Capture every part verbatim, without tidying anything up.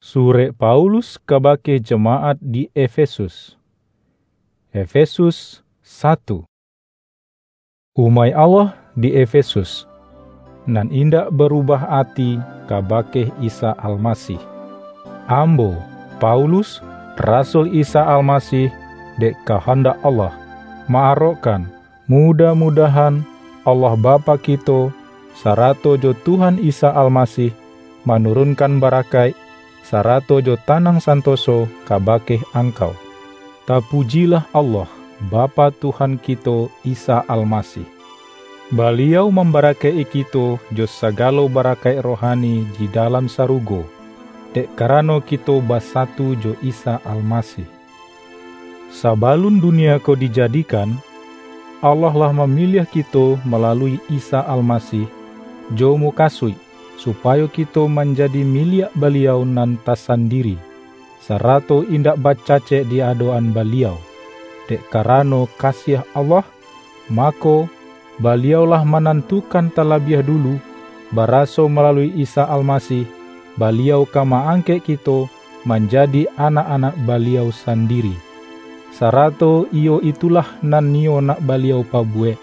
Surek Paulus kabake jamaat di Efesus. Efesus satu. Umaik Allah di Efesus, nan indak barubah ati kabake Isa Almasih. Ambo, Paulus, rasul Isa Almasih, dek kahandak Allah, ma-arokkan, mudah-mudahan Allah Bapa kito, sarato jo Tuhan Isa Almasih, manurunkan barakaik, sarato jo tanang santoso kabake angkau. Tapujilah Allah, Bapa Tuhan kito Isa Almasih. Baliau mambarakaik-i kito jo sagalo barakaik rohani di dalam sarugo, dek karano kito basatu jo Isa Almasih. Sabalun dunia ko dijadikan, Allah lah mamiliah kito malalui Isa Almasih jo mukasuik, supayo kito manjadi miliak Baliau nan tasandiri, sarato indak bacacek di adok-an Baliau. Dek karano kasiah Allah, mako, Baliau lah manantukan talabiah dulu, baraso malalui Isa Almasih, Baliau ka ma-angkek kito manjadi anak-anak Baliau sandiri. Sarato iyo itulah nan niyo nak Baliau pabuwek.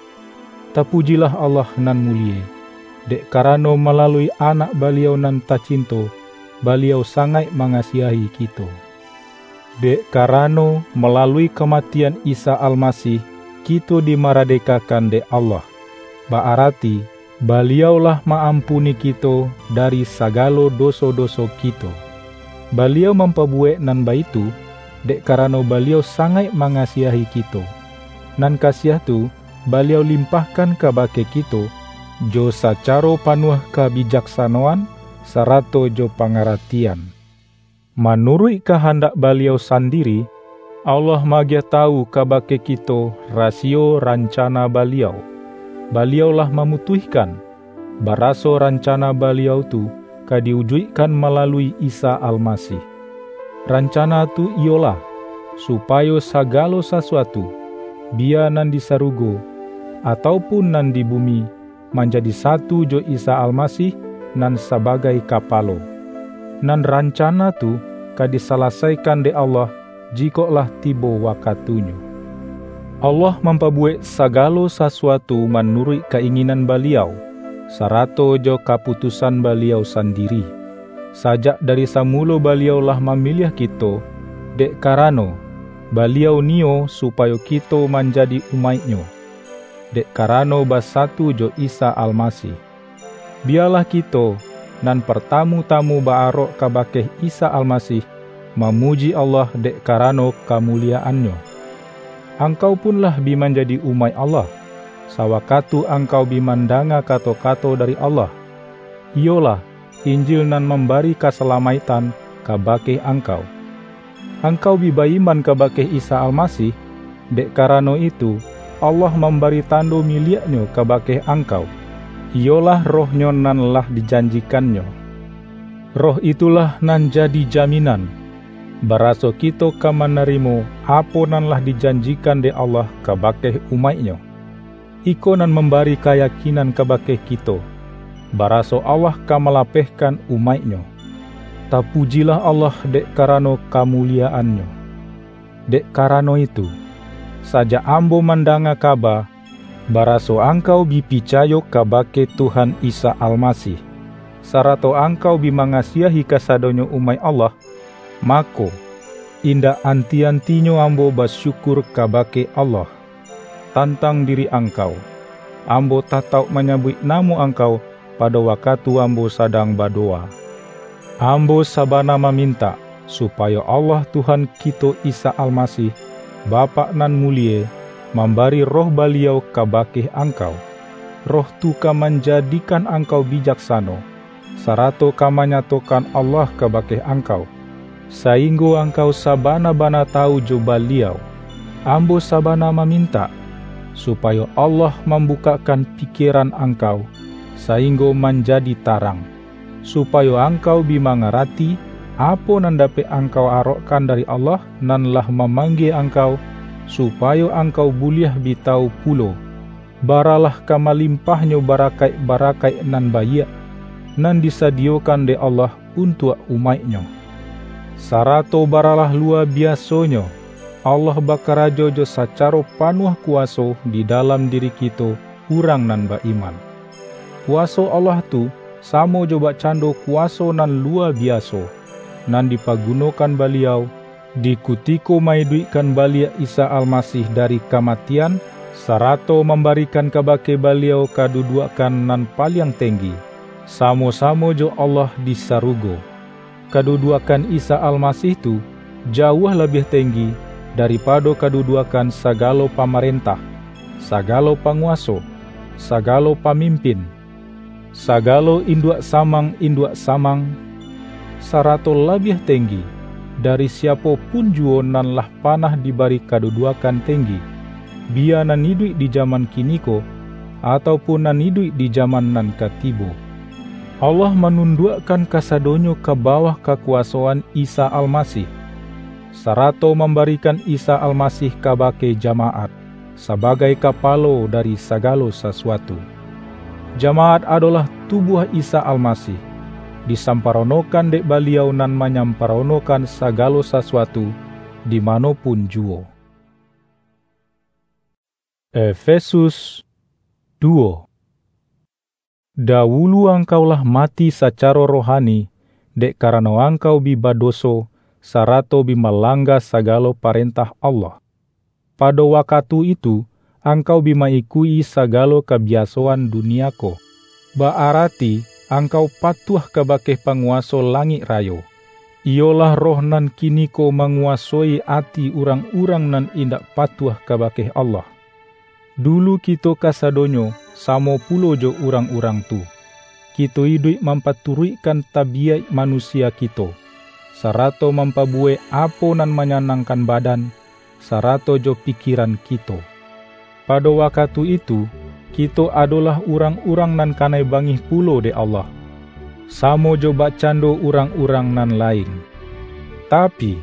Tapujilah Allah nan mulie, dek karano malalui Anak Baliau nan tacinto, Baliau sangaik mangasiahi kito. Dek karano, malalui kamatian Isa Almasih, kito dimaradekakan dek Allah, ba-arati, Baliau lah ma-ampuni kito dari sagalo doso-doso kito. Baliau mampabuwek nan baitu, dek karano Baliau sangaik mangasiahi kito. Nan kasiah tu, Baliau limpahkan kabake kito, jo sacaro panuah kabijaksanoan, sarato jo pangaratian. Manuruik kahandak Baliau sandiri, Allah maagiah tawu kabake kito rasiyo rancana Baliau. Baliau lah mamutuihkan, baraso rancana Baliau tu ka diujuikkan malalui Isa Almasih. Rancana tu iyolah, supayo sagalo sasuatu, biya nan di sarugo, atau pun nan di bumi, manjadi satu jo Isa Almasih nan sabagai Kapalo. Nan rancana tu ka disalasaikan dek Allah, jikok lah tibo wakatunyo. Allah mampabuwek sagalo sasuatu manuruik ka-inginan Baliau, sarato jo kaputusan Baliau sandiri. Sajak dari samulo Baliau lah mamiliah kito, dek karano, Baliau niyo supayo kito manjadi umaik-Nyo, dek karano basatu jo Isa Almasih. Biyalah kito, nan partamu-tamu ba-arok kabake Isa Almasih, mamuji Allah dek karano kamuliyaan-Nyo. Angkau pun lah bi manjadi umaik Allah, sawakatu angkau bi mandanga kato-kato dari Allah, iyolah, Injil nan mambari kasalamaiktan kabake angkau. Angkau bi ba-iman kabake Isa Almasih, dek karano itu, Allah mambari tando miliak-Nyo kabake angkau, iyolah Roh-Nyo nan lah dijanjikan-Nyo. Roh itulah nan jadi jaminan, baraso kito ka manarimo apo nan lah dijanjikan dek Allah kabake umaik-Nyo. Iko nan mambari kayakinan kabake kito, baraso Allah ka malapehkan umaik-Nyo. Tapujilah Allah dek karano kamuliyaan-Nyo. Dek karano itu, sajak ambo mandanga kaba, baraso angkau bi picayo kabake Tuhan Isa Almasih, sarato angkau bi mangasiahi kasadonyo umaik Allah, mako, indak anti-antinyo ambo basyukur kabake Allah. Tantang diri angkau, ambo tatauk manyabuik namo angkau pado wakatu ambo sadang badowa. Ambo sabana mamintak, supayo Allah Tuhan kito Isa Almasih, Bapak nan mulie, mambari Roh Baliau kabake angkau. Roh tu ka manjadikan angkau bijaksano, sarato ka manyatokan Allah kabake angkau, sainggo angkau sabana-bana tawu jo Baliau. Ambo sabana mamintak, supayo Allah mambukakkan pikieran angkau, sainggo manjadi tarang, supayo angkau bi mangarati, apo nan dapek angkau arokkan dari Allah nan lah mamanggie angkau, supayo angkau buliah bi tawu pulo, baralah ka malimpahnyo barakaik-barakaik nan baiak, nan disadiyokan dek Allah untuak umaik-Nyo. Sarato baralah lua biasonyo, Allah bakarajo jo sacaro panuah kuwaso di dalam diri kito, urang nan ba-iman. Kuwaso Allah tu samo jo bakcando kuwaso nan lua biaso, nan dipagunokan Baliau, di kutiko ma-iduikkan baliak Isa Almasih dari kamatian, sarato mambarikan kabake Baliau kaduduakkan nan paliang tenggi, samo-samo jo Allah di sarugo. Kaduduakkan Isa Almasih tu jauah labiah tenggi daripado kaduduakkan sagalo pamarentah, sagalo panguwaso, sagalo pamimpin, sagalo induak samang-induak samang, sarato labiah tenggi dari siapo pun juwo nan lah panah dibari kaduduakkan tenggi, biya nan iduik di jaman kiniko, atau pun nan iduik di jaman nan ka tibo. Allah manunduakkan kasadonyo ka bawah kakuwasoan Isa Almasih, sarato mambarikan Isa Almasih kabake jamaat, sabagai kapalo dari sagalo sasuatu. Jamaat adolah tubuah Isa Almasih, disamparonokan dek Baliau nan manyamparonokan sagalo sasuatu di mano pun juwo. Efesus duwo. Dawulu angkau lah mati sacaro rohani, dek karano angkau bi badoso, sarato bi malangga sagalo parentah Allah. Pado wakatu itu, angkau bi ma-ikuik-i sagalo kabiasoan dunia ko, ba-arati angkau patuah kabake panguwaso langik rayo, iyolah roh nan kiniko manguwasoi ati urang-urang nan indak patuah kabake Allah. Dulu kito kasadonyo samo pulo jo urang-urang tu. Kito iduik mampaturuikkan tabiyaik manusia kito, sarato mampabuwek apo nan manyanangkan badan, sarato jo pikiran kito. Pado wakatu itu, kito adolah urang-urang nan kanai bangih pulo dek Allah, samo jo bakcando urang-urang nan lain. Tapi,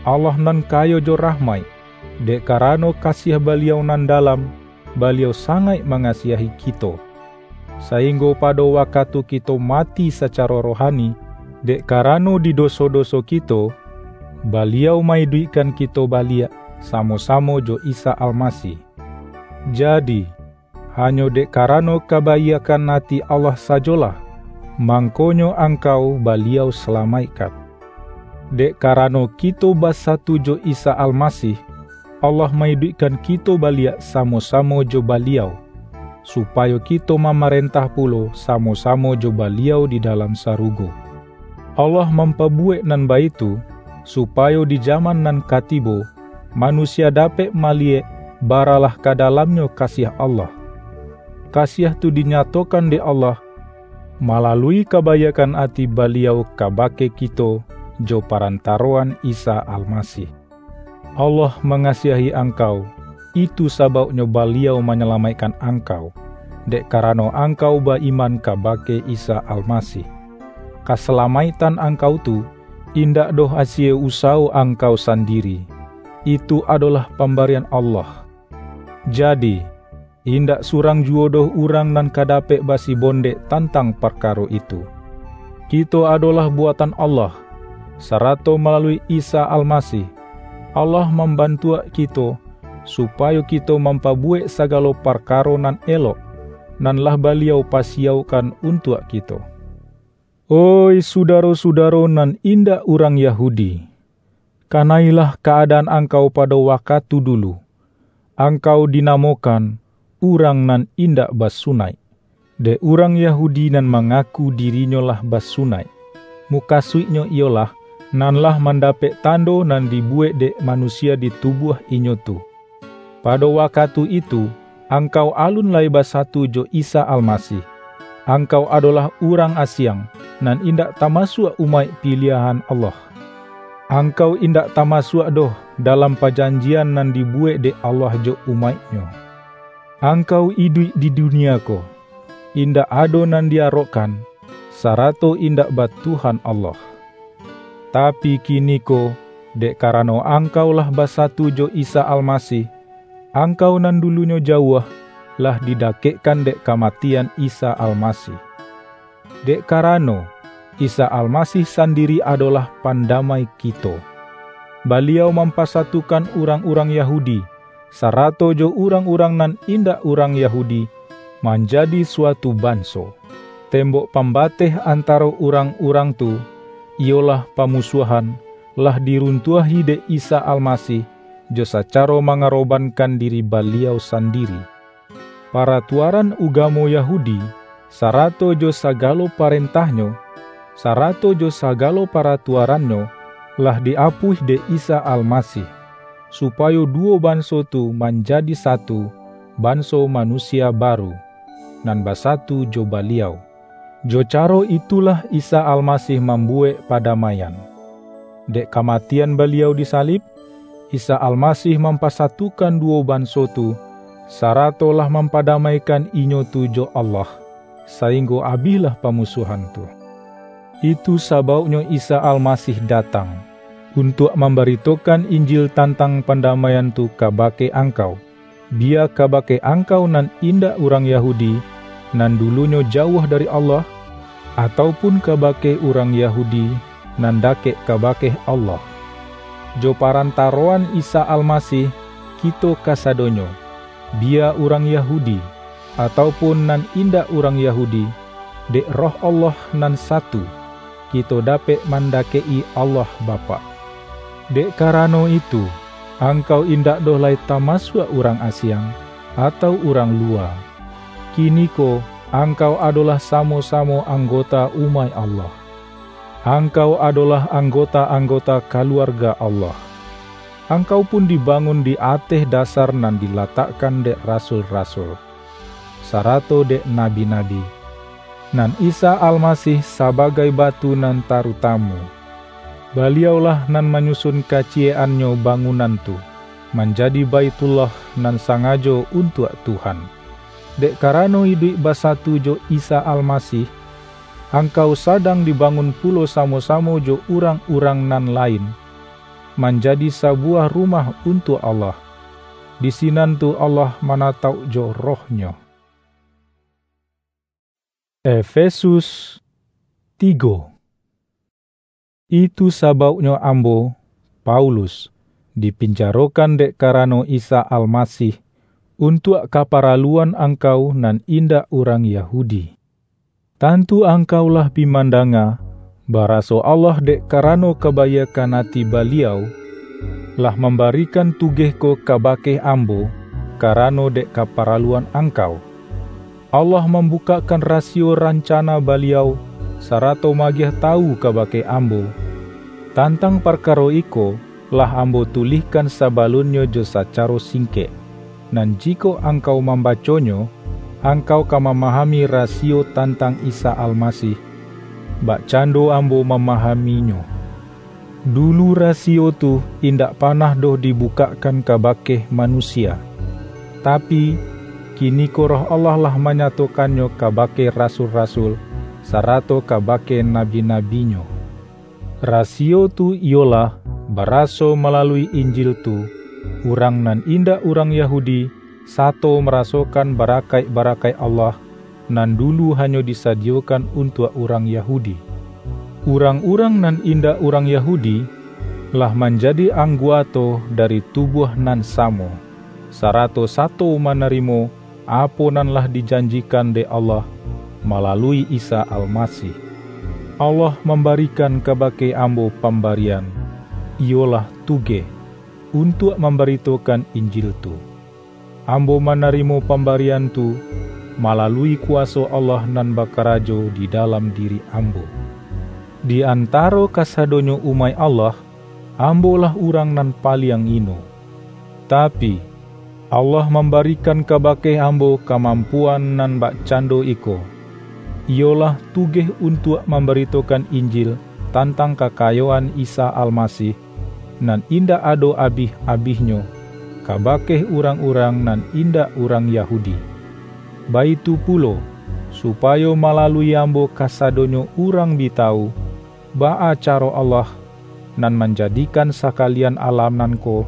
Allah nan kayo jo rahmaik, dek karano kasiah Baliau nan dalam, Baliau sangaik mangasiahi kito, sainggo pado wakatu kito mati sacaro rohani, dek karano di doso-doso kito, Baliau ma-iduikkan kito baliak samo-samo jo Isa Almasih. Jadi, hanyo dek karano kabaiakkan ati Allah sajolah, mangkonyo angkau Baliau salamaikkan. Dek karano kito basatu jo Isa Almasih, Allah ma-iduikkan kito baliak samo-samo jo Baliau, supayo kito mamarentah pulo samo-samo jo Baliau di dalam sarugo. Allah mampabuwek nan baitu, supayo di jaman nan ka tibo, manusia dapek maliyek baralah ka dalamnyo kasiah Allah. Kasiah tu dinyatokan dek Allah malalui kabaiakkan ati Baliau kabake kito jo parantaroan Isa Almasih. Allah mangasiahi angkau, itu sabauknyo Baliau manyalamaikkan angkau, dek karano angkau ba-iman kabake Isa Almasih. Kasalamaiktan angkau tu indak doh asie usawo angkau sandiri, itu adolah pambarian Allah. Jadi, indak surang juwo doh urang nan ka dapek basibondek tantang parkaro itu. Kito adolah buatan Allah, sarato malalui Isa Almasih, Allah mambantuak kito, supayo kito mampabuwek sagalo parkaro nan elok, nan lah Baliau pasiyaukkan untuak kito. Oih sudaro-sudaro nan indak urang Yahudi, kanailah kaadaan angkau pado wakatu dulu. Angkau dinamokan urang nan indak basunaik, dek urang Yahudi nan mangaku dirinyo lah basunaik, mukasuiknyo iyolah, nan lah mandapek tando nan dibuwek dek manusia di tubuah inyo tu. Pado wakatu itu, angkau alun lai basatu jo Isa Almasih. Angkau adolah urang asiang, nan indak tamasuak umaik piliahan Allah. Angkau indak tamasuak doh dalam pajanjian nan dibuwek dek Allah jo umaik-Nyo. Angkau iduik di dunia ko, indak ado nan di-arokkan, sarato indak ba Tuhan Allah. Tapi kiniko, dek karano angkau lah basatu jo Isa Almasih, angkau nan dulunyo jauah, lah didakekkan dek kamatian Isa Almasih. Dek karano, Isa Almasih sandiri adolah pandamai kito. Baliau mampasatukan urang-urang Yahudi, sarato jo urang-urang nan indak urang Yahudi, manjadi suatu banso. Tembok pambateh antaro urang-urang tu, iyolah pamusuahan, lah diruntuahi dek Isa Almasih, jo sacaro mangarobankan diri Baliau sandiri. Paratuaran ugamo Yahudi, sarato jo sagalo parentahnyo, sarato jo sagalo paratuarannyo, lah di-apuih dek Isa Almasih, supayo duwo banso tu manjadi satu, banso manusia baru, nan basatu jo Baliau. Jo caro itulah Isa Almasih mambuwek padamaian. Dek kamatian Baliau di salib, Isa Almasih mampasatukan duwo banso tu, sarato lah mampadamaikan inyo tu jo Allah, sainggo abihlah pamusuahan tu. Itu sabauknyo Isa Almasih datang, untuak mambaritokan Injil tantang pandamaian tu kabake angkau, biya kabake angkau nan indak urang Yahudi, nan dulunyo jauah dari Allah, atau pun kabake urang Yahudi, nan dakek kabake Allah. Jo parantaroan Isa Almasih, kito kasadonyo, biya urang Yahudi, atau pun nan indak urang Yahudi, dek Roh Allah nan satu, kito dapek mandakek-i Allah Bapak. Dek karano itu, angkau indak doh lai tamasuak urang asiang, atau urang luwa. Kiniko, angkau adolah samo-samo anggota umaik Allah. Angkau adolah anggota-anggota kaluarga Allah. Angkau pun dibangun di ateh dasar nan dilatakkan dek rasul-rasul, sarato dek nabi-nabi, nan Isa Almasih sabagai batu nan tarutamu. Baliaulah nan manyusun kaciyek-annyo bangunan tu, manjadi Baitullah nan sangajo untuak Tuhan. Dek karano iduik basatu jo Isa Almasih, angkau sadang dibangun pulo samo-samo jo urang-urang nan lain, manjadi sabuwah rumah untuak Allah. Di sinan tu Allah manatauk jo Roh-Nyo. Efesus tigo. Itu sabauknyo ambo, Paulus, dipinjarokan dek karano Isa Almasih, untuak kaparaluan angkau nan indak urang Yahudi. Tantu angkau lah bi mandanga, baraso Allah dek karano kabaiakkan ati Baliau, lah mambarikan tugeh ko kabake ambo, karano dek kaparaluan angkau. Allah mambukakkan rasiyo rancana Baliau, sarato maagiah tawu kabake ambo. Tantang parkaro iko, lah ambo tulihkan sabalunnyo jo sacaro singkek, nan jikok angkau mambaconyo, angkau ka mamahami rasiyo tantang Isa Almasih, bakcando ambo mamahaminyo. Dulu rasiyo tu indak panah doh dibukakkan kabake manusia, tapi, kiniko Roh Allah lah manyatokannyo kabake rasul-rasul, sarato kabake nabi-nabi-Nyo. Rasiyo tu iyolah, baraso malalui Injil tu, urang nan indak urang Yahudi, sato marasokan barakaik-barakaik Allah, nan dulu hanyo disadiyokan untuak urang Yahudi. Urang-urang nan indak urang Yahudi, lah manjadi angguato dari tubuah nan samo, sarato sato manarimo apo nan lah dijanjikan dek Allah malalui Isa Almasih. Allah mambarikan kabake ambo pambarian, iyolah tugeh, untuak mambaritokan Injil tu. Ambo manarimo pambarian tu malalui kuwaso Allah nan bakarajo di dalam diri ambo. Di antaro kasadonyo umaik Allah, ambo lah urang nan paliang ino. Tapi, Allah mambarikan kabake ambo kamampuan nan bakcando iko, iyolah tugeh untuak mambaritokan Injil tantang kakayoan Isa Almasih, nan indak ado abih-abihnyo, kabake urang-urang nan indak urang Yahudi. Baitu pulo, supayo malalui ambo kasadonyo urang bi tawu, baa caro Allah, nan manjadikan sakalian alam nan ko,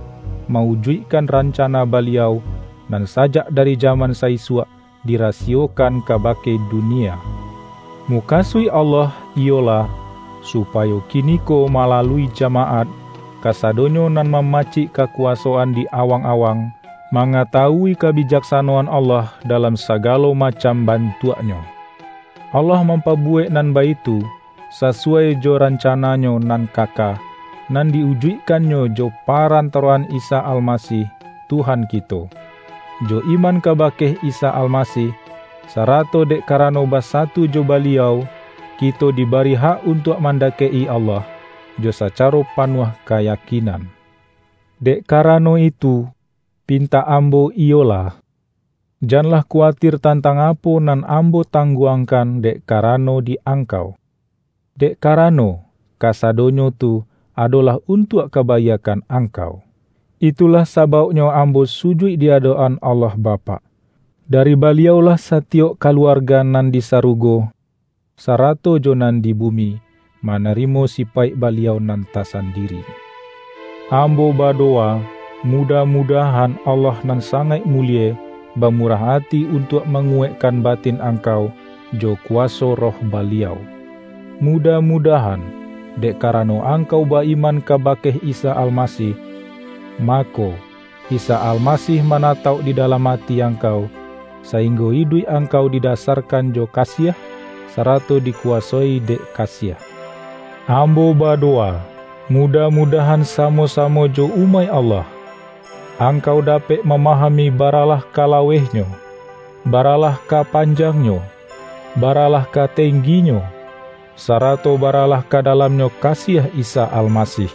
mawujuikkan rancana Baliau, nan sajak dari jaman saisuak dirasiyokan kabake dunia. Mukasuik Allah iyolah, supayo kiniko malalui jamaat, kasadonyo nan mamacik kakuwasoan di awang-awang, mangatawui kabijaksanoan Allah dalam sagalo macam bantuaknyo. Allah mampabuwek nan baitu, sasuwai jo rancana-Nyo nan kaka, nan di-ujuikkan-Nyo jo parantaroan Isa Almasih, Tuhan kito. Jo iman kabake Isa Almasih, sarato dek karano basatu jo Baliau, kito dibari hak untuak mandakek-i Allah, jo sacaro panuah kayakinan. Dek karano itu, pintak ambo iyolah, janlah kuwatir tantang apo nan ambo tangguangkan dek karano di angkau. Dek karano, kasadonyo tu adolah untuak kabaiakkan angkau. Itulah sabauknyo ambo sujuik di adok-an Allah Bapak. Dari Baliau-lah satiyok kaluarga nan di sarugo, sarato jo nan di bumi, manarimo sipaik Baliau nan tasandiri. Ambo badowa, mudah-mudahan Allah nan sangaik mulie bamurah ati untuak manguwaikkan batin angkau jo kuwaso Roh Baliau. Mudah-mudahan, dek karano angkau ba-iman kabake Isa Almasih, mako, Isa Almasih manatauk di dalam ati angkau, sainggo iduik angkau didasarkan jo kasiah, sarato dikuwasoi dek kasiah. Ambo badowa, mudah-mudahan samo-samo jo umaik Allah, angkau dapek mamahami baralah ka lawehnyo, baralah ka panjangnyo, baralah ka tengginyo, sarato baralah ka dalamnyo kasiah Isa Almasih,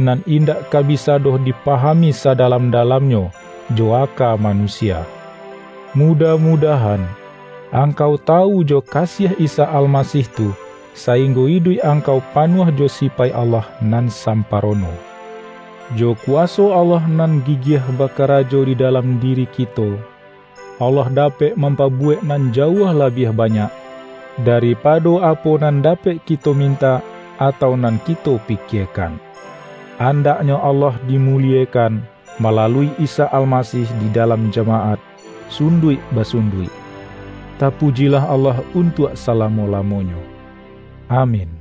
nan indak ka bisa doh dipahami sadalam-dalamnyo jo aka manusia. Mudah-mudahan, angkau tawu jo kasiah Isa Almasih tu, sainggo iduik angkau panuah jo sipaik Allah nan samparono. Jo kuwaso Allah nan gigiah bakarajo di dalam diri kito, Allah dapek mampabuwek nan jauah labiah banyak, daripado apo nan dapek kito mintak, atau nan kito pikiekan. Andaknyo Allah dimuliekan malalui Isa Almasih di dalam jamaat, sunduik basunduik. Tapujilah Allah untuak salamo-lamonyo. Amin.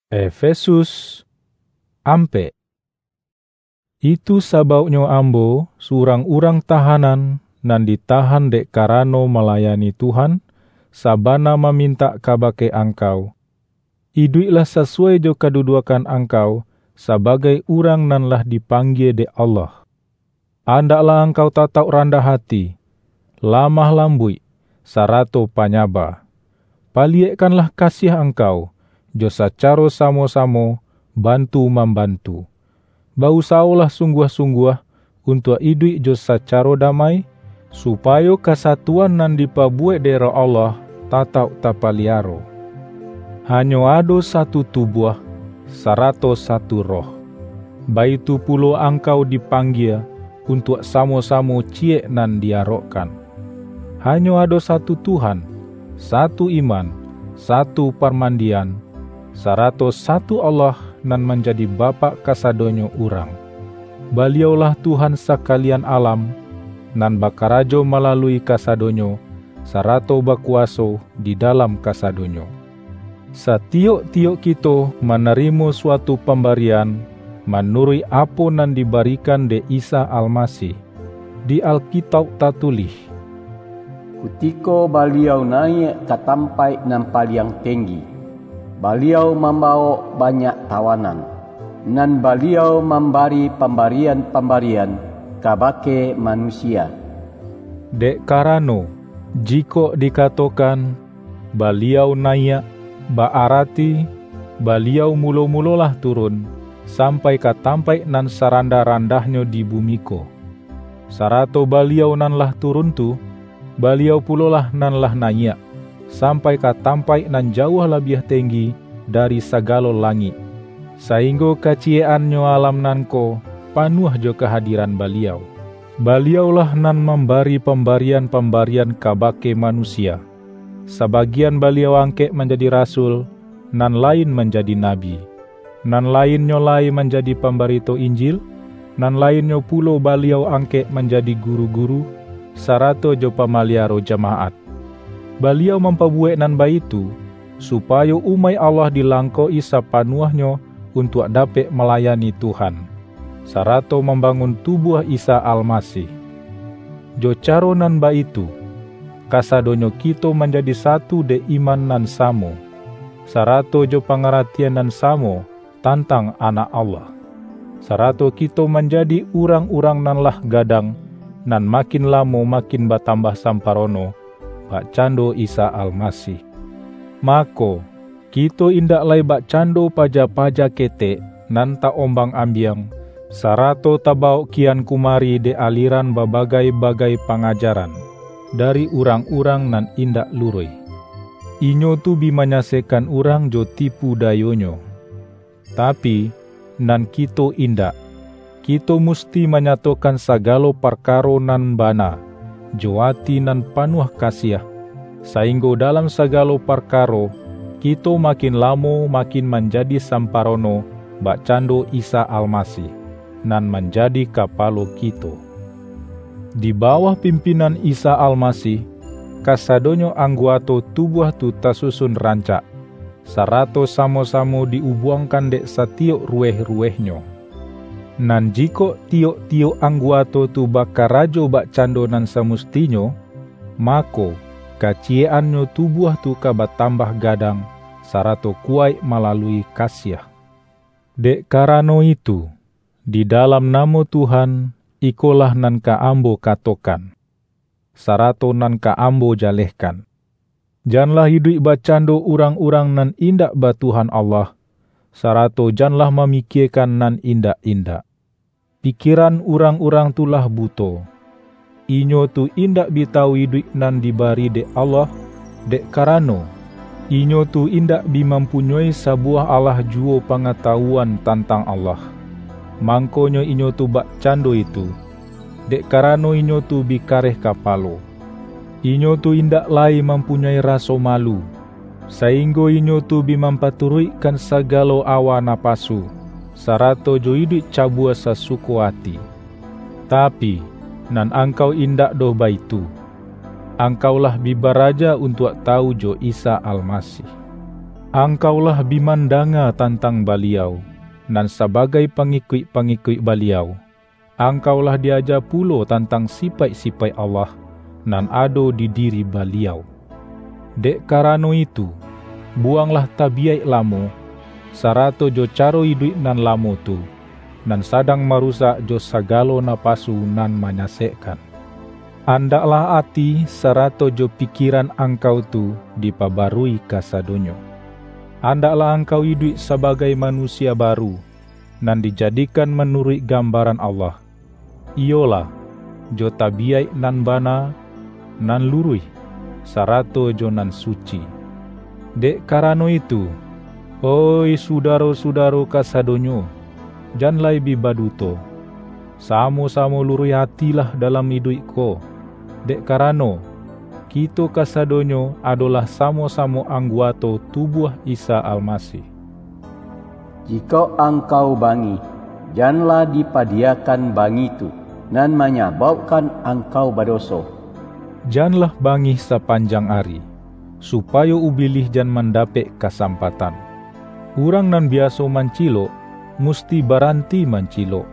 Efesus ampek. Itu sabauknyo ambo, surang urang tahanan, nan ditahan dek karano malayani Tuhan, sabana mamintak kabake angkau, iduiklah sasuwai jo kaduduakan angkau sabagai urang nan lah dipanggie dek Allah. Andaklah angkau tatauk randah ati, lamah lambuik, sarato panyaba. Paliyekkanlah kasiah angkau, jo sacaro samo-samo bantu-mambantu. Ba-usawolah sungguah-sungguah untuak iduik jo sacaro damai, supayo kasatuan nan dipabuwek dek Roh Allah tatauk tapaliaro. Hanyo ado satu tubuah, sarato satu Roh. Baitu pulo angkau dipanggie untuak samo-samo ciyek nan diarokkan. Hanyo ado satu Tuhan, satu iman, satu parmandian, sarato satu Allah nan manjadi Bapak kasadonyo urang. Baliau-lah Tuhan sakalian alam, nan bakarajo malalui kasadonyo, sarato bakuwaso di dalam kasadonyo. Satiyok-tiyok kito manarimo suatu pambarian manuruik apo nan dibarikan dek Isa Almasih. Di Alkitauk tatulih, Kutiko Baliau naiak ka tampaik nan paliang tenggi, Baliau mambawok banyak tawanan, nan Baliau mambari pambarian-pambarian kabake manusia. Dek karano, jikok dikatokan, Baliau naiak, ba-arati, Baliau mulo-mulolah turun, sampai ka tampaik nan sarandah-randahnyo di bumi ko. Sarato Baliau nan lah turun tu, Baliau pulolah nan lah naiak, sampai ka tampaik nan jauah labiah tenggi dari sagalo langik, sainggo kaciyek-annyo alam nan ko panuah jo kahadiran Baliau. Baliau-lah nan mambari pambarian-pambarian kabake manusia. Sabagian Baliau angkek manjadi rasul, nan lain manjadi nabi, nan lainnyo lai manjadi pambarito Injil, nan lainnyo pulo Baliau angkek manjadi guru-guru, sarato jo pamaliyaro jamaat. Baliau mampabuwek nan baitu, supayo umaik Allah dilangkok-i sapanuahnyo untuak dapek malayani Tuhan, sarato mambangun tubuah Isa Almasih. Jo caro nan baitu, kasadonyo kito manjadi satu dek iman nan samo, sarato jo pangaratian nan samo tantang Anak Allah, sarato kito manjadi urang-urang nan lah gadang, nan makin lamo makin batambah samparono, bakcando Isa Almasih. Mako, kito indak lai bakcando paja-paja ketek nan ta-ombang-ambiang, sarato tabawok kian kumari dek aliran babagai-bagai pangajaran dari urang-urang nan indak luruih. Inyo tu bi manyasekkan urang jo tipu dayonyo. Tapi, nan kito indak. Kito musti manyatokan sagalo parkaro nan bana, jo ati nan panuah kasiah, sainggo dalam sagalo parkaro, kito makin lamo makin manjadi samparono, bakcando Isa Almasih, nan manjadi Kapalo kito. Di bawah pimpinan Isa Almasih, kasadonyo angguato tubuah tu tasusun rancak, sarato samo-samo di-ubuangkan dek satiyok ruweh-ruwehnyo. Nan jikok tiyok-tiyok angguato tu bakarajo bakcando nan samustinyo, mako, kaciyek-annyo tubuah tu ka batambah gadang, sarato kuwaik malalui kasiah. Dek karano itu, di dalam namo Tuhan, ikolah nan ka ambo katokan, sarato nan ka ambo jalehkan. Janlah iduik bakcando urang-urang nan indak ba Tuhan Allah, sarato janlah mamikiekan nan indak-indak. Pikieran urang-urang tu lah buto. Inyo tu indak bi tawu iduik nan dibari dek Allah, dek karano, inyo tu indak bi mampunyoi sabuwah alah juwo pangatawuan tantang Allah. Mangkonyo inyo tu bakcando itu, dek karano inyo tu bi kareh kapalo. Inyo tu indak lai mampunyoi raso malu, sainggo inyo tu bi mampaturuikkan sagalo awa napasu, sarato jo iduik cabua sasuko ati. Tapi, nan angkau indak doh baitu. Angkau lah bi baraja untuak tawu jo Isa Almasih. Angkau lah bi mandanga tantang Baliau, nan sabagai pangikuik-pangikuik Baliau, angkau lah diaja pulo tantang sipaik-sipaik Allah, nan ado di diri Baliau. Dek karano itu, buwanglah tabiyaik lamo, sarato jo caro iduik nan lamo tu, nan sadang marusak jo sagalo napasu nan manyasekkan. Andaklah ati sarato jo pikieran angkau tu dipabarui kasadonyo. Andaklah angkau iduik sabagai manusia baru, nan dijadikan manuruik gambaran Allah, iyolah, jo tabiyaik nan bana, nan luruih, sarato jo nan suci. Dek karano itu, oih sudaro-sudaro kasadonyo, jan lai bi baduto. Samo-samo luruih atilah dalam iduik ko, dek karano, kito kasadonyo adolah samo-samo angguato tubuah Isa Almasih. Jikok angkau bangih, janlah dipadiyakan bangih tu, nan manyabaukkan angkau badoso. Janlah bangih sapanjang ari, supayo Ubilih jan mandapek kasampatan. Urang nan biaso mancilok, musti baranti mancilok.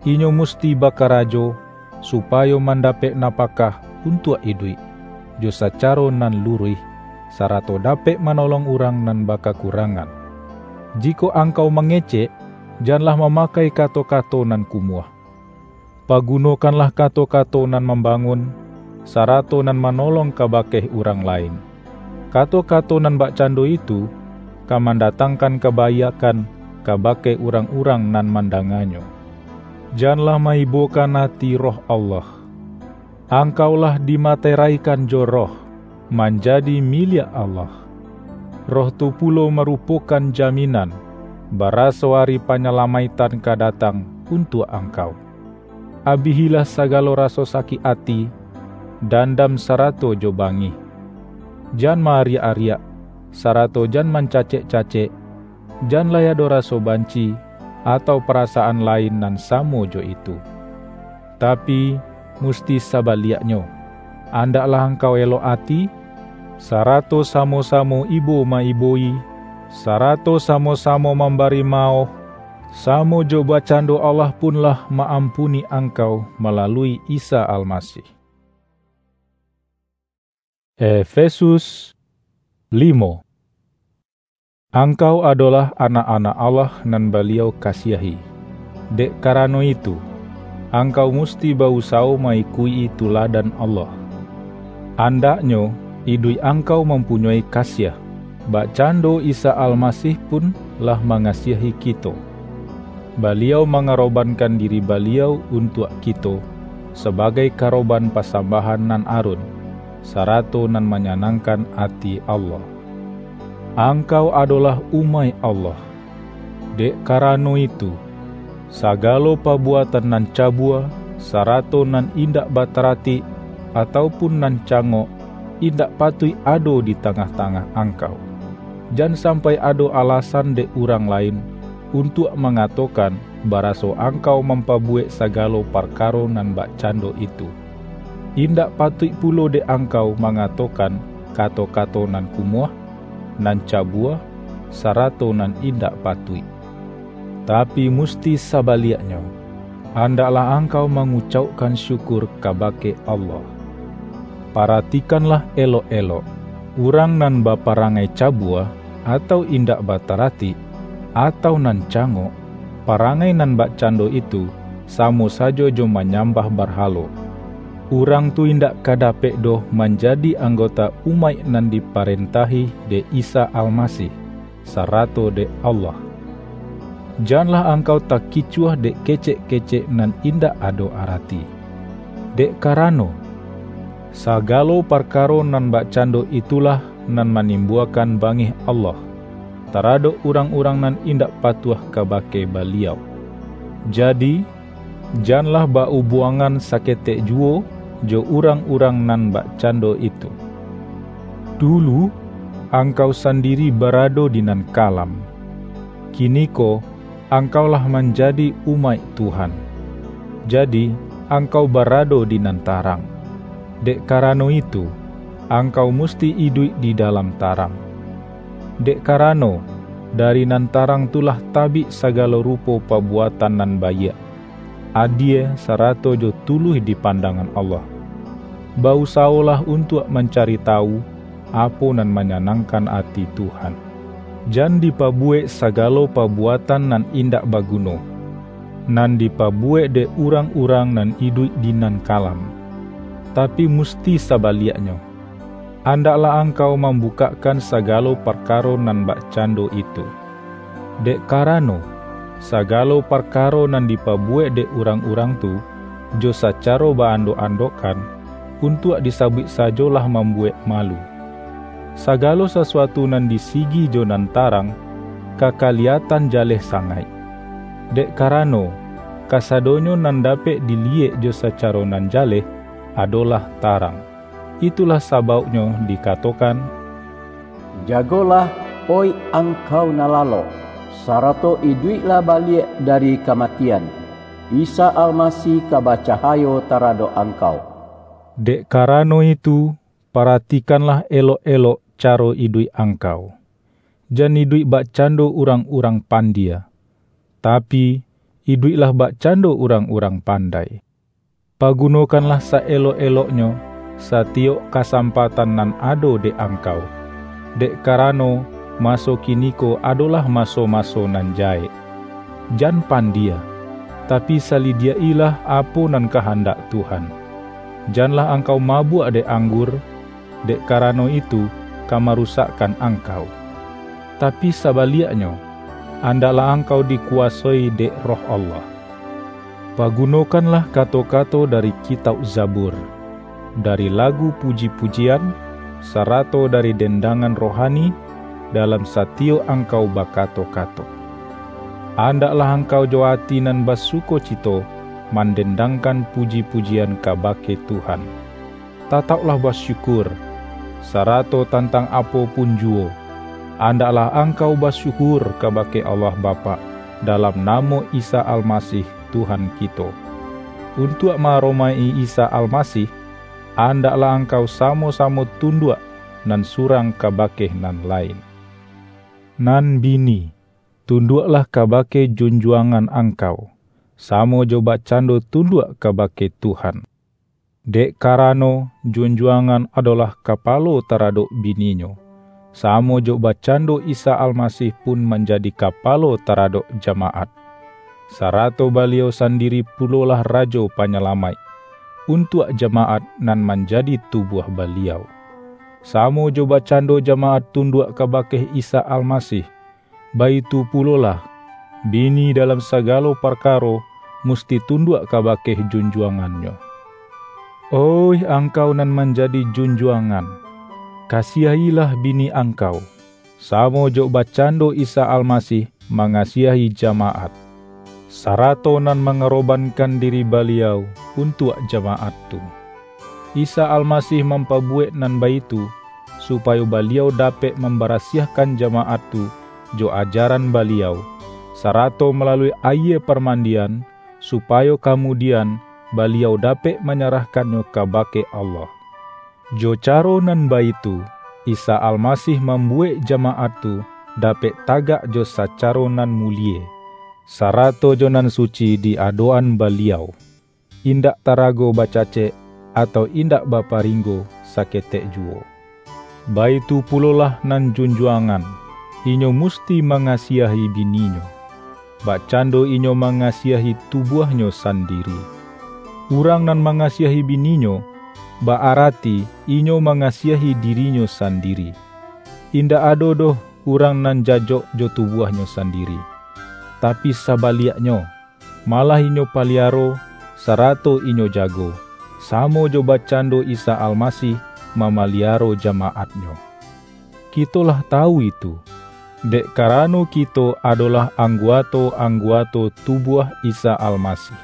Inyo musti bakarajo, supayo mandapek napakah untuak iduik, jo sacaro nan luruih, sarato dapek manolong urang nan bakakurangan. Jikok angkau mangecek, janlah mamakai kato-kato nan kumuah. Pagunokanlah kato-kato nan mambangun, sarato nan manolong kabake urang lain. Kato-kato nan bakcando itu, ka mandatangkan kabaiakkan kabake urang-urang nan mandanganyo. Janlah maibokan ati Roh Allah. Angkau lah dimateraikan jo Roh, manjadi miliak Allah. Roh tu pulo marupokan jaminan, baraso ari panyalamaiktan ka datang untuak angkau. Abihilah sagalo raso sakik ati, dandam sarato jo bangih. Jan maariak-ariak, sarato jan mancacek-cacek, jan lai ado raso banci, atau parasaan lain nan samo jo itu. Tapi, musti sabaliaknyo, andaklah angkau elok ati, sarato samo-samo ibo ma-ibo-i, sarato samo-samo mambari maoh, samo jo bacando Allah pun lah ma-ampuni angkau malalui Isa Almasih. Efesus limo. Angkau adolah anak-anak Allah nan Baliau kasiahi. Dek karano itu, angkau musti ba-usawo ma-ikuik-i tuladan Allah. Andaknyo, iduik angkau mampunyoi kasiah, bakcando Isa Almasih pun lah mangasiahi kito. Baliau mangarobankan diri Baliau untuak kito, sabagai karoban pasambahan nan arun, sarato nan manyanangkan ati Allah. Angkau adolah umaik Allah. Dek karano itu, sagalo pabuatan nan cabua, sarato nan indak bataratik, atau pun nan cangok, indak patuik ado di tangah-tangah angkau. Jan sampai ado alasan dek urang lain untuak mangatokan, baraso angkau mampabuwek sagalo parkaro nan bakcando itu. Indak patuik pulo dek angkau mangatokan kato-kato nan kumuah, nan cabua, sarato nan indak patuik. Tapi, musti sabaliaknyo, andaklah angkau mangucaukkan syukur kabake Allah. Paratikanlah elok-elok, urang nan baparangai cabua, atau indak bataratik, atau nan cangok, parangai nan bakcando itu, samo sajo jo manyambah barhalo. Urang tu indak ka dapek doh manjadi anggota umaik nan diparentahi dek Isa Almasih, sarato dek Allah. Janlah angkau takicuah dek kecek-kecek nan indak ado arati. Dek karano, sagalo parkaro nan bakcando itulah nan manimbuakan bangih Allah taradok urang-urang nan indak patuah kabake Baliau. Jadi, janlah ba-ubuangan saketek juwo jo urang-urang nan bakcando itu. Dulu, angkau sandiri barado di nan kalam. Kiniko, angkau lah manjadi umaik Tuhan. Jadi, angkau barado di nan tarang. Dek karano itu, angkau musti iduik di dalam tarang. Dek karano, dari nan tarang tu lah tabik sagalo rupo pabuatan nan baiak, adie, sarato jo tuluih di pandangan Allah. Ba-usawolah untuak mancari tawu, apo nan manyanangkan ati Tuhan. Jan dipabuwek sagalo pabuatan nan indak baguno, nan dipabuwek dek urang-urang nan iduik di nan kalam. Tapi, musti sabaliaknyo, andaklah angkau mambukakkan sagalo parkaro nan bakcando itu. Dek karano, sagalo parkaro nan dipabuwek dek urang-urang tu, jo sacaro ba-andok-andokkan, untuak disabuik sajo lah mambuwek malu. Sagalo sasuatu nan di sigi jo nan tarang, ka kaliyatan jaleh sangaik. Dek karano, kasadonyo nan dapek diliyek jo sacaro nan jaleh, adolah tarang. Itulah sabauknyo dikatokan, "Jagolah, oih angkau nan lalok, sarato iduiklah baliak dari kamatian, Isa Almasih ka bacahayo taradok angkau." Dek karano itu, paratikanlah elok-elok caro iduik angkau. Jan iduik bakcando urang-urang pandia, tapi, iduiklah bakcando urang-urang pandai. Pagunokanlah saelok-eloknyo satiyok kasampatan nan ado dek angkau, dek karano, maso kiniko adolah maso-maso nan jahek. Jan pandia, tapi, salidiak-ilah apo nan kahandak Tuhan. Janlah angkau mabuak dek anggur, dek karano itu ka marusakkan angkau. Tapi, sabaliaknyo, andaklah angkau dikuwasoi dek Roh Allah. Pagunokanlah kato-kato dari Kitauk Zabur, dari lagu puji-pujian, sarato dari dendangan rohani, dalam satiyok angkau bakato-kato. Andaklah angkau jo ati nan basukocito mandendangkan puji-pujian kabake Tuhan. Tatauklah basyukur, sarato tantang apo pun juwo, andaklah angkau basyukur kabake Allah Bapak, dalam namo Isa Almasih, Tuhan kito. Untuak ma-aromaik-i Isa Almasih, andaklah angkau samo-samo tunduak nan surang kabake nan lain. Nan bini, tunduaklah kabake junjuangan angkau, samo jo bakcando tunduak kabake Tuhan. Dek karano, junjuangan adolah kapalo taradok bininyo, samo jo bakcando Isa Almasih pun manjadi kapalo taradok jamaat, sarato Baliau sandiri pulolah Rajo Panyalamaik, untuak jamaat nan manjadi tubuah Baliau. Samo jo bakcando jamaat tunduak kabake Isa Almasih, baitu pulolah, bini dalam sagalo parkaro musti tunduak kabake junjuangannyo. Oih angkau nan manjadi junjuangan, kasiahilah bini angkau, samo jo bakcando Isa Almasih mangasiahi jamaat, sarato nan mangarobankan diri Baliau untuak jamaat tu. Isa Almasih mampabuwek nan baitu, supayo Baliau dapek mambarasiahkan jamaat tu jo ajaran Baliau, sarato malalui ayie parmandian, supayo kamudian Baliau dapek manyarahkannyo kabake Allah. Jo caro nan baitu, Isa Almasih mambuwek jamaat tu dapek tagak jo sacaro nan mulie, sarato jo nan suci di adok-an Baliau, indak tarago bacacek, atau indak baparinggo saketek juwo. Baitu pulolah nan junjuangan, inyo musti mangasiahi bininyo, bakcando inyo mangasiahi tubuahnyo sandiri. Urang nan mangasiahi bininyo, ba-arati inyo mangasiahi dirinyo sandiri. Indak ado doh urang nan jajok jo tubuahnyo sandiri, tapi sabaliaknyo, malah inyo paliaro, sarato inyo jago, samo jo bakcando Isa Almasih mamaliaro jamaat-Nyo. Kito lah tawu itu, dek karano kito adolah angguato-angguato tubuah Isa Almasih.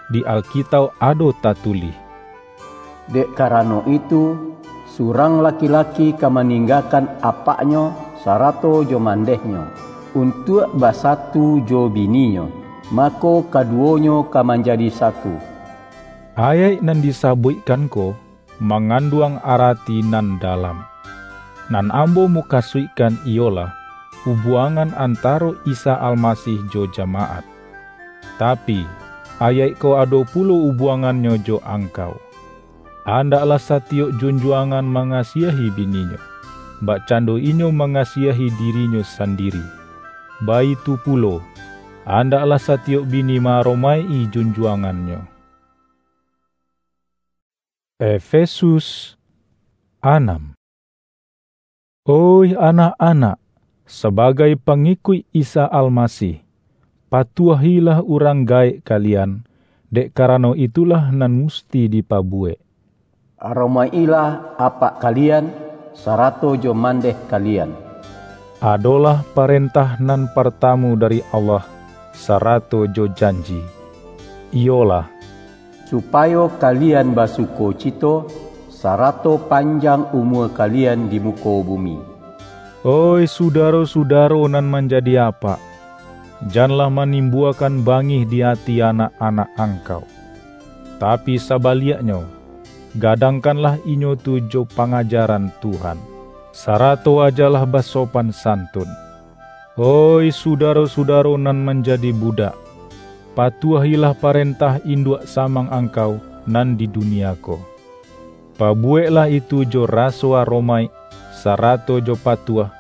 Di Alkitauk ado tatulih, "Dek karano itu, surang laki-laki ka maninggakan apaknyo sarato jo mandehnyo, untuak basatu jo bininyo, mako, kaduwonyo ka manjadi satu." Ayaik nan disabuikkan ko manganduang arati nan dalam. Nan ambo mukasuikkan iyolah, ubuangan antaro Isa Almasih jo jamaat. Tapi, ayaik ko ado pulo ubuangannyo jo angkau. Andaklah satiyok junjuangan mangasiahi bininyo, bakcando inyo mangasiahi dirinyo sandiri. Baitu pulo, andaklah satiyok bini ma-aromaik-i junjuangannyo. Efesus anam. Oih anak-anak, sabagai pangikuik Isa Almasih, patuahilah urang gaek kalian, dek karano itulah nan musti dipabuwek. "Aromaik-ilah apak kalian, sarato jo mandeh kalian," adolah parentah nan partamu dari Allah, sarato jo janji, iyolah, "Supayo kalian basukocito, sarato panjang umua kalian di muko bumi." Oih sudaro-sudaro nan manjadi apak, janlah manimbuakan bangih di ati anak-anak angkau. Tapi sabaliaknyo, gadangkanlah inyo tu jo pangajaran Tuhan, sarato ajalah basopan santun. Oih sudaro-sudaro nan manjadi budak, patuahilah parentah induak samang angkau nan di dunia ko. Pabuweklah itu jo raso aromaik, sarato jo patuah,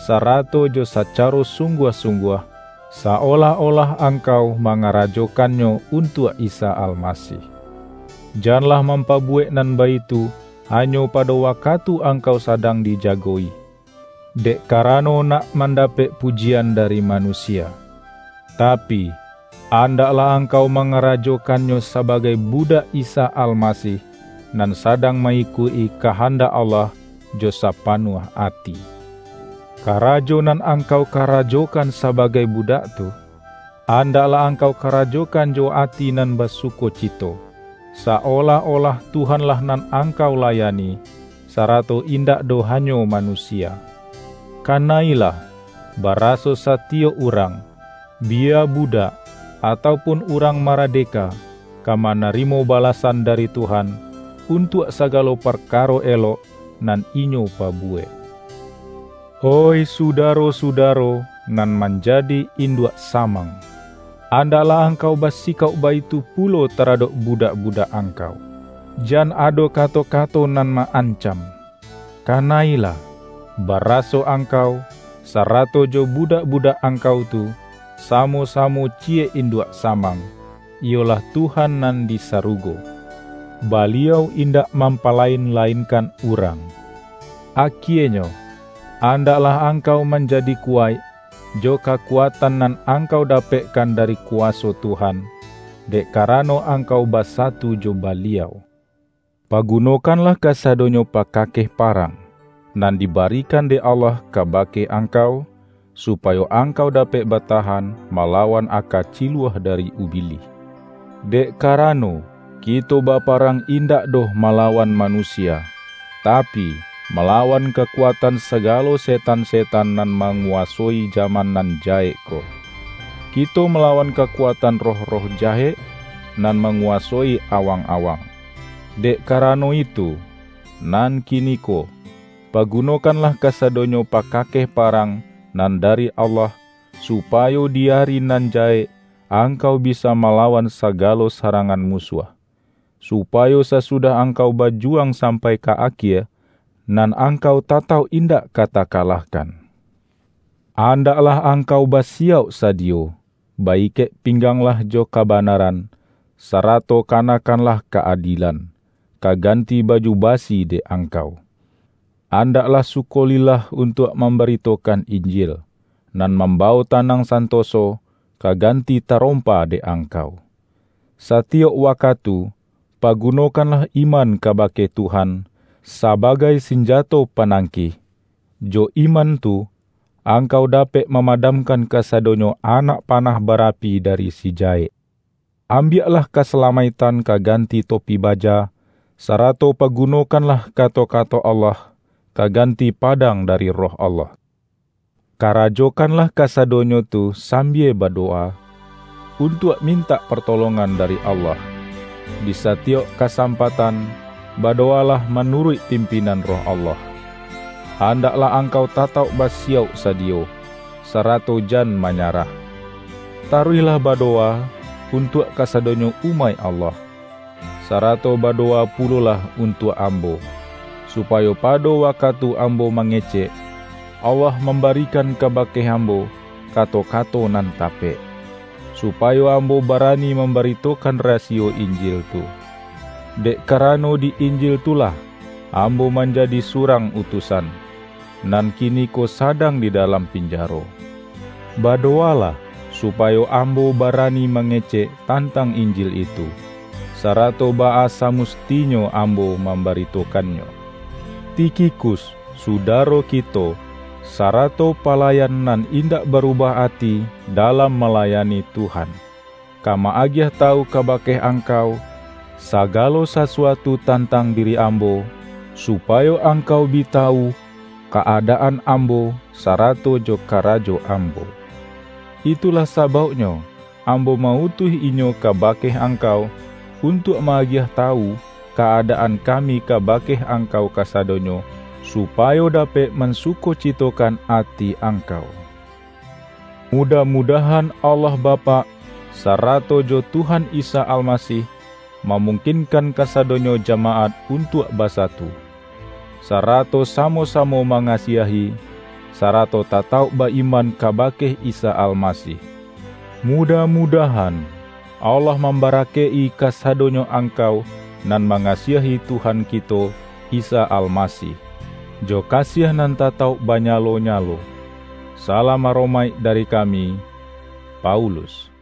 sarato jo sacaro sungguah-sungguah, saolah-olah angkau mangarajokannyo untuak Isa Almasih. Janlah mampabuwek nan baitu hanyo pado wakatu angkau sadang dijago-i, dek karano nak mandapek pujian dari manusia. Tapi, andaklah angkau mangarajokannyo sabagai budak Isa Almasih, nan sadang ma-ikuik-i kahandak Allah jo sapanuah ati. Karajo nan angkau karajokan sabagai budak tu, andaklah angkau karajokan jo ati nan basukocito, saolah-olah Tuhanlah nan angkau layani, sarato indak doh hanyo manusia. Kanailah, baraso satiyok urang, biya budak, ataupun urang maradeka, ka manarimo balasan dari Tuhan, untuak sagalo parkaro elok, nan inyo pabuwek. Oih sudaro-sudaro nan manjadi induak samang, andaklah angkau basikauk baitu pulo taradok budak-budak angkau. Jan ado kato-kato nan ma-ancam. Kanailah, baraso angkau, sarato jo budak-budak angkau tu, samo-samo ciyek induak samang, iyolah Tuhan nan di sarugo. Baliau indak mampalain-lainkan urang. Akienyo, andaklah angkau manjadi kuwaik, jo kakuatan nan angkau dapekkan dari kuwaso Tuhan, dek karano angkau basatu jo Baliau. Pagunokanlah kasadonyo pakakeh parang, nan dibarikan dek Allah kabake angkau, supayo angkau dapek batahan malawan aka ciluah dari Ubilih. Dek karano, kito baparang indak doh malawan manusia, tapi, malawan kakuatan sagalo setan-setan nan manguwasoi jaman nan jahek ko. Kito malawan kakuatan roh-roh jahek nan manguwasoi awang-awang. Dek karano itu, nan kiniko, pagunokanlah kasadonyo pakakeh parang nan dari Allah, supayo di ari nan jahek angkau bisa malawan sagalo sarangan musuah, supayo sasudah angkau bajuwang sampai ka akie, nan angkau tatauk indak ka takalahkan. Andaklah angkau basiyauk sadiyo, baikek pingganglah jo kabanaran, sarato kanakanlah ka-adilan, ka ganti baju basi dek angkau. Andaklah sukolilah untuak mambaritokan Injil, nan mambawo tanang santoso ka ganti tarompa dek angkau. Satiyok wakatu, pagunokanlah iman kabake Tuhan sabagai sinjato panangkih. Jo iman tu, angkau dapek mamadamkan kasadonyo anak panah barapi dari si jahek. Ambiaklah kasalamaiktan ka ganti topi baja, sarato pagunokanlah kato-kato Allah ka ganti padang dari Roh Allah. Karajokanlah kasadonyo tu sambia badowa, untuak mintak partolongan dari Allah. Di satiyok kasampatan, badowalah manuruik pimpinan Roh Allah. Andaklah angkau tatauk basiyauk sadiyo, sarato jan manyarah. Taruihlah badowa untuak kasadonyo umaik Allah, sarato badowa pulolah untuak ambo, supayo pado wakatu ambo mangecek, Allah mambarikan kabake ambo kato-kato nan tapek, supayo ambo barani mambaritokan rasiyo Injil tu. Dek karano di Injil tu lah ambo manjadi surang utusan, nan kiniko sadang di dalam pinjaro. Badowalah, supayo ambo barani mangecek tantang Injil itu, sarato baa samustinyo ambo mambaritokannyo. Tikhikus, sudaro kito, sarato palayan nan indak barubah ati dalam malayani Tuhan, ka ma-agiah tawu kabake angkau, sagalo sasuatu tantang diri ambo, supayo angkau bi tawu ka-adaan ambo, sarato jo karajo ambo. Itulah sabauknyo, ambo ma-utuih inyo kabake angkau, untuak ma-agiah tawu ka-adaan kami kabake angkau kasadonyo, supayo dapek mansukocitokan ati angkau. Mudah-mudahan Allah Bapak, sarato jo Tuhan Isa Almasih, mamungkinkan kasadonyo jamaat untuak basatu, sarato samo-samo mangasiahi, sarato tatauk ba-iman kabake Isa Almasih. Mudah-mudahan Allah mambarakaik-i kasadonyo angkau nan mangasiahi Tuhan kito, Isa Almasih, jo kasiah nan tatauk banyalo-nyalo. Salam aromaik dari kami, Paulus.